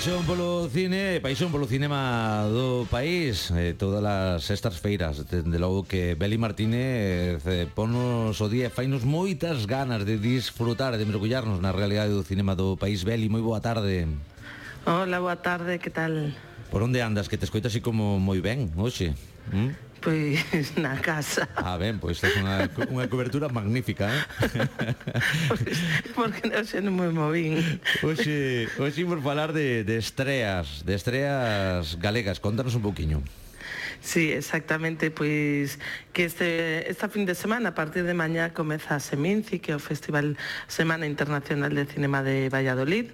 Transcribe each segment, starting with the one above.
paixón polo cine e paixón polo cinema do país, todas estas feiras, dende logo que Beli Martínez ponnos o día e fainos moitas ganas de disfrutar, de mergullarnos na realidade do cinema do país. Beli, moi boa tarde. Hola, boa tarde, que tal? Por onde andas, que te escoito así como moi ben hoxe? Pois na casa. Ben, pois é unha cobertura magnífica, Porque non me movín. Hoxe imos falar de estreas galegas. Contanos un pouquiño. Sí, exactamente, pois que esta fin de semana, a partir de mañá, comeza a Seminci, que é o Festival Semana Internacional de Cinema de Valladolid,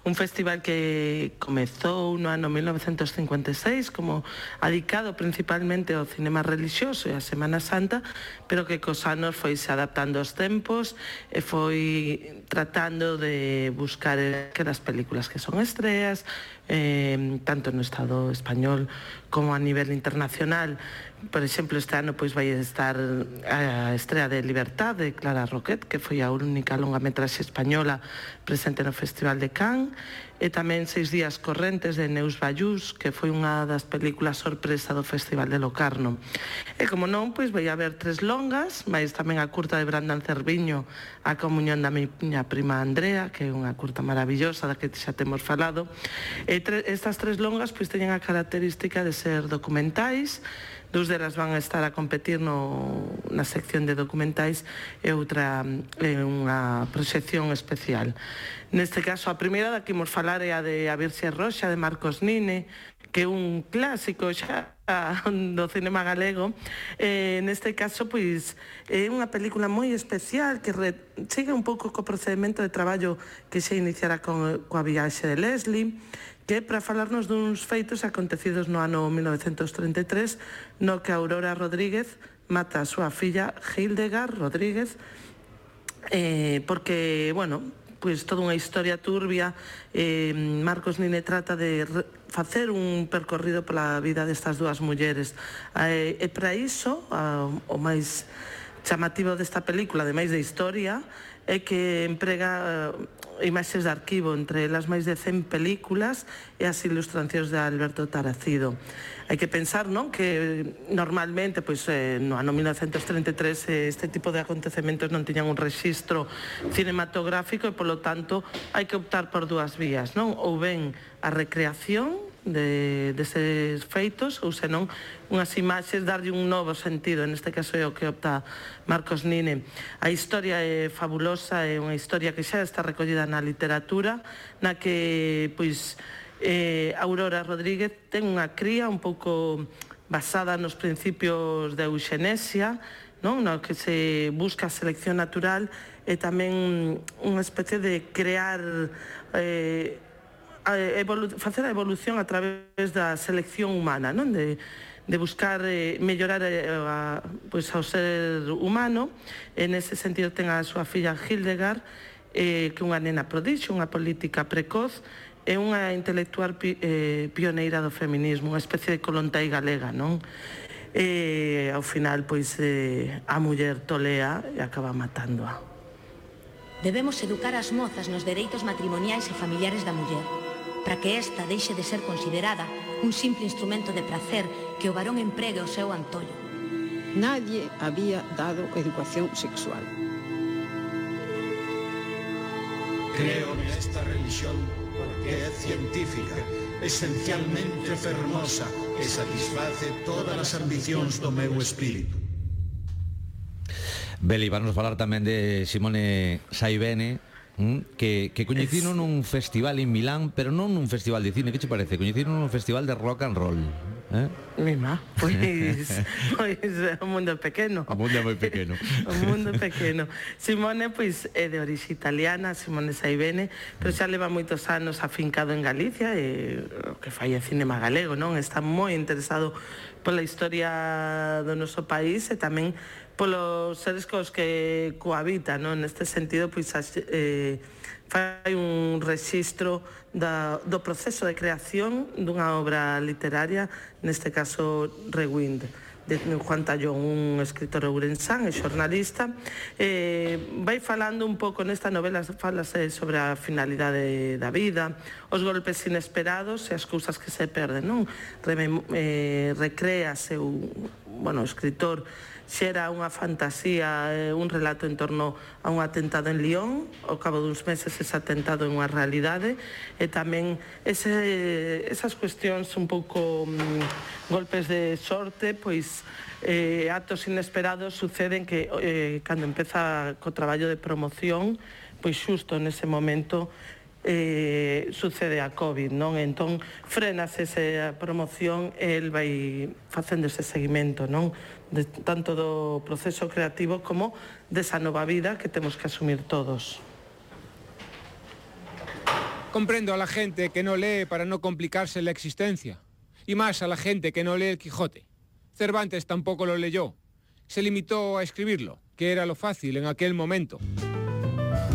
un festival que comezou no ano 1956 como adicado principalmente ao cinema religioso e a Semana Santa, pero que cos anos foi se adaptando aos tempos e foi tratando de buscar aquelas películas que son estreas, tanto no Estado español como a nivel internacional. Por exemplo, este ano pois vai estar a estrea de Libertad de Clara Roquet, que foi a única longametraxe española presente no Festival de Cannes, e tamén 6 días correntes de Neus Ballús, que foi unha das películas sorpresa do Festival de Locarno. E como non, pois vai haber 3 longas, mais tamén a curta de Brandan Cerviño, A comunión da miña prima Andrea, que é unha curta maravillosa da que xa temos falado. E estas 3 longas pois teñen a característica de ser documentais. 2 delas van a estar a competir na sección de documentais e outra é unha proxección especial. Neste caso, a primeira da que imos falar é a de A Virxe Roxa, de Marcos Nine, que é un clásico xa do cinema galego. Neste caso, pois, é unha película moi especial que sigue un pouco co procedimento de traballo que se iniciara coa viaxe de Leslie, que é para falarnos duns feitos acontecidos no ano 1933, no que Aurora Rodríguez mata a súa filla Hildegard Rodríguez, porque, bueno, pois toda unha historia turbia. Marcos Nine trata de facer un percorrido pola vida destas dúas mulleres, e para iso o máis chamativo desta película, ademais de historia, é que emprega imaxes de arquivo, entre elas máis de 100 películas e as ilustracións de Alberto Taracido. Hai que pensar, non, que normalmente, pois, no ano 1933 este tipo de acontecementos non tiñan un rexistro cinematográfico e, polo tanto, hai que optar por 2 vías, non? Ou ben a recreación deses feitos, ou senón unhas imaxes, darlle un novo sentido. Neste caso é o que opta Marcos Nine. A historia é fabulosa, é unha historia que xa está recollida na literatura, na que, pois, Aurora Rodríguez ten unha cría un pouco basada nos principios da euxenesia, non? No que se busca a selección natural e tamén unha especie de crear facer a evolución a través da selección humana, non? De buscar mellorar pois, ao ser humano. E nese sentido ten a súa filla Hildegard, que é unha nena prodixio, unha política precoz e unha intelectual pioneira do feminismo, unha especie de Kollontai galega, non? E ao final, pois, a muller tolea e acaba matándoa. Debemos educar as mozas nos dereitos matrimoniais e familiares da muller, para que esta deixe de ser considerada un simple instrumento de placer que o varón empregue o seu antollo. Nadie había dado educación sexual. Creo nesta religión porque é científica, esencialmente fermosa e satisface todas as ambicións do meu espírito. Beli, vamos falar tamén de Simone Saibene, que coñecino nun festival en Milán, pero non nun festival de cine. Que che parece? Coñecino nun festival de rock and roll. Mima, pois o mundo é pequeno. O mundo é moi pequeno. O mundo é pequeno. Simone, pois, é de orixe italiana, Simone Saibene, pero xa leva moitos anos afincado en Galicia, e o que fai é cinema galego, non? Está moi interesado pola historia do noso país e tamén polos seres cos que cohabitan, non? Neste sentido, pois, fai un rexistro do proceso de creación dunha obra literaria, neste caso Rewind, de Juan Tallón, un escritor ourensán e xornalista. Vai falando un pouco nesta novela, falase sobre a finalidade da vida, os golpes inesperados e as cousas que se perden, non? Recréase o escritor xera unha fantasía, un relato en torno a un atentado en Lyon. Ao cabo duns meses ese atentado é unha realidade, e tamén esas cuestións un pouco golpes de sorte, pois actos inesperados suceden que cando empeza co traballo de promoción, pois xusto nese momento sucede a COVID, non? Entón frenase esa promoción e el vai facendo ese seguimento, non? Tanto do proceso creativo como desa nova vida que temos que asumir todos. Comprendo a la gente que no lee para no complicarse la existencia, y más a la gente que no lee el Quijote. Cervantes tampoco lo leyó, se limitó a escribirlo, que era lo fácil en aquel momento.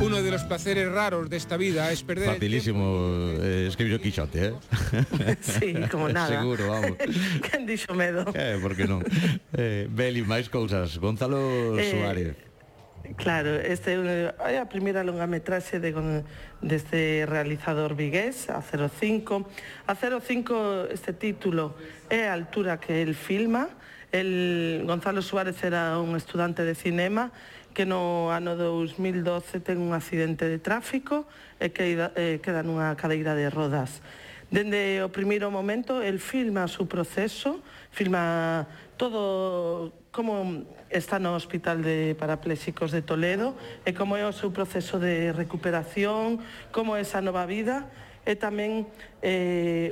Uno de los placeres raros de esta vida es perder... Facilísimo escribir o Quijote, eh? Sí, como nada. Seguro, vamos. Quen dixo medo? Por que non? Beli, máis cousas. Gonzalo Suárez. Claro, é a primeira longametraxe deste realizador vigués, a 05. A 05, este título é a altura que el filma. Gonzalo Suárez era un estudante de cinema que no ano 2012 ten un accidente de tráfico e queda nunha cadeira de rodas. Dende o primeiro momento, el filma o seu proceso, filma todo como está no Hospital de Parapléxicos de Toledo e como é o seu proceso de recuperación, como é esa nova vida, e tamén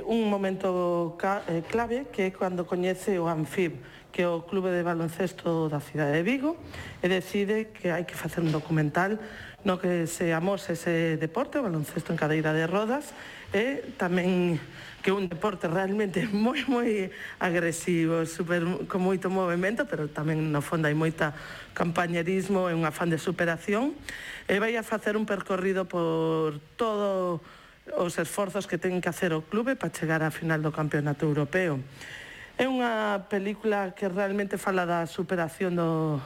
un momento clave que é cando coñece o Anfib, que é o clube de baloncesto da cidade de Vigo, e decide que hai que facer un documental no que se amose ese deporte, o baloncesto en cadeira de rodas, e tamén que é un deporte realmente moi agresivo, con moito movimento, pero tamén no fondo hai moita campañerismo e un afán de superación, e vai a facer un percorrido por todos os esforzos que ten que hacer o clube para chegar á final do campeonato europeo. É unha película que realmente fala da superación no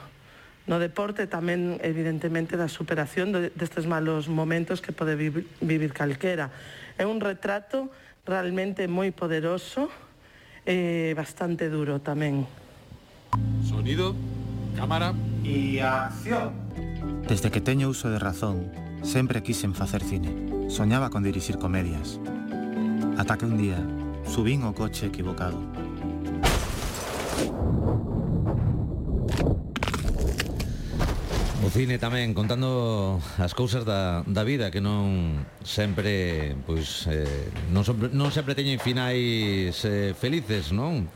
deporte, tamén evidentemente da superación destes malos momentos que pode vivir calquera. É un retrato realmente moi poderoso e bastante duro tamén. Sonido, cámara e acción. Desde que teño uso de razón, sempre quixen facer cine. Soñaba con dirixir comedias. Ata que un día subín o coche equivocado. O cine tamén contando as cousas da vida que non sempre non sempre teñen finais felices, non?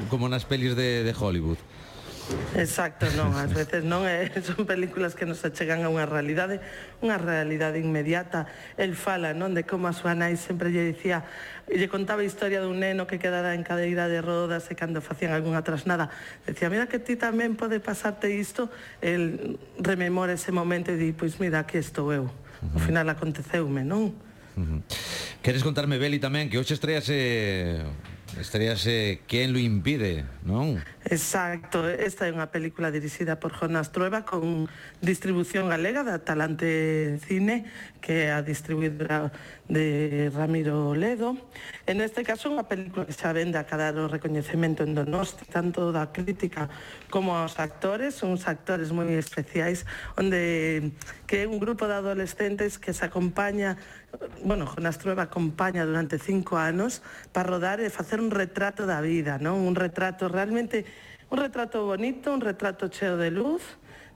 Como nas pelis de Hollywood. Exacto, non, ás veces non, son películas que nos achegan a unha realidade inmediata. El fala, non, de como a súa nai sempre lle dicía, lle contaba a historia dun neno que quedara en cadeira de rodas e cando facían algunha trasnada decía, mira que ti tamén pode pasarte isto. El rememora ese momento e di, pois mira, aquí estou eu. Ao final aconteceume, non? Queres contarme, Beli, tamén que hoxe estrease Quen lo impide, non? Exacto, esta é unha película dirixida por Jonás Trueba con distribución galega da Talante Cine, que é a distribuidora de Ramiro Ledo. En este caso, unha película que xa vende a cadar o recoñecemento en Donosti, tanto da crítica como aos actores. Son uns actores moi especiais, onde que é un grupo de adolescentes que se acompaña, Jonás Trueba acompaña durante 5 anos para rodar e facer un retrato da vida, non? Un retrato realmente, un retrato bonito, un retrato cheo de luz,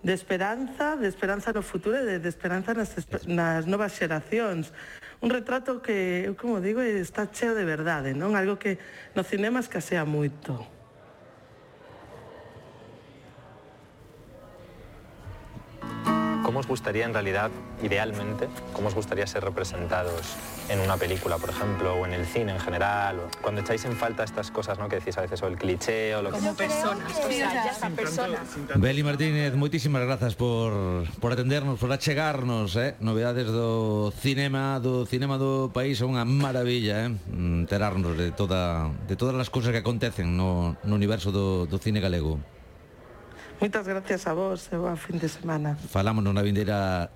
de esperanza no futuro e de esperanza nas novas xeracións. Un retrato que, como digo, está cheo de verdade, non? Algo que no cinema escasea moito. ¿Cómo os gustaría en realidad, idealmente, cómo os gustaría ser representados en una película, por ejemplo, o en el cine en general? O cuando echáis en falta estas cosas, ¿no?, que decís a veces, o el cliché, o lo que... Como personas, o sea, ya son personas. Beli Martínez, moitísimas grazas por atendernos, por achegarnos, novedades do cinema do país. É unha maravilla, enterarnos de todas as cousas que acontecen no universo do cine galego. Moitas gracias a vos e boa fin de semana. Falámonos na vindeira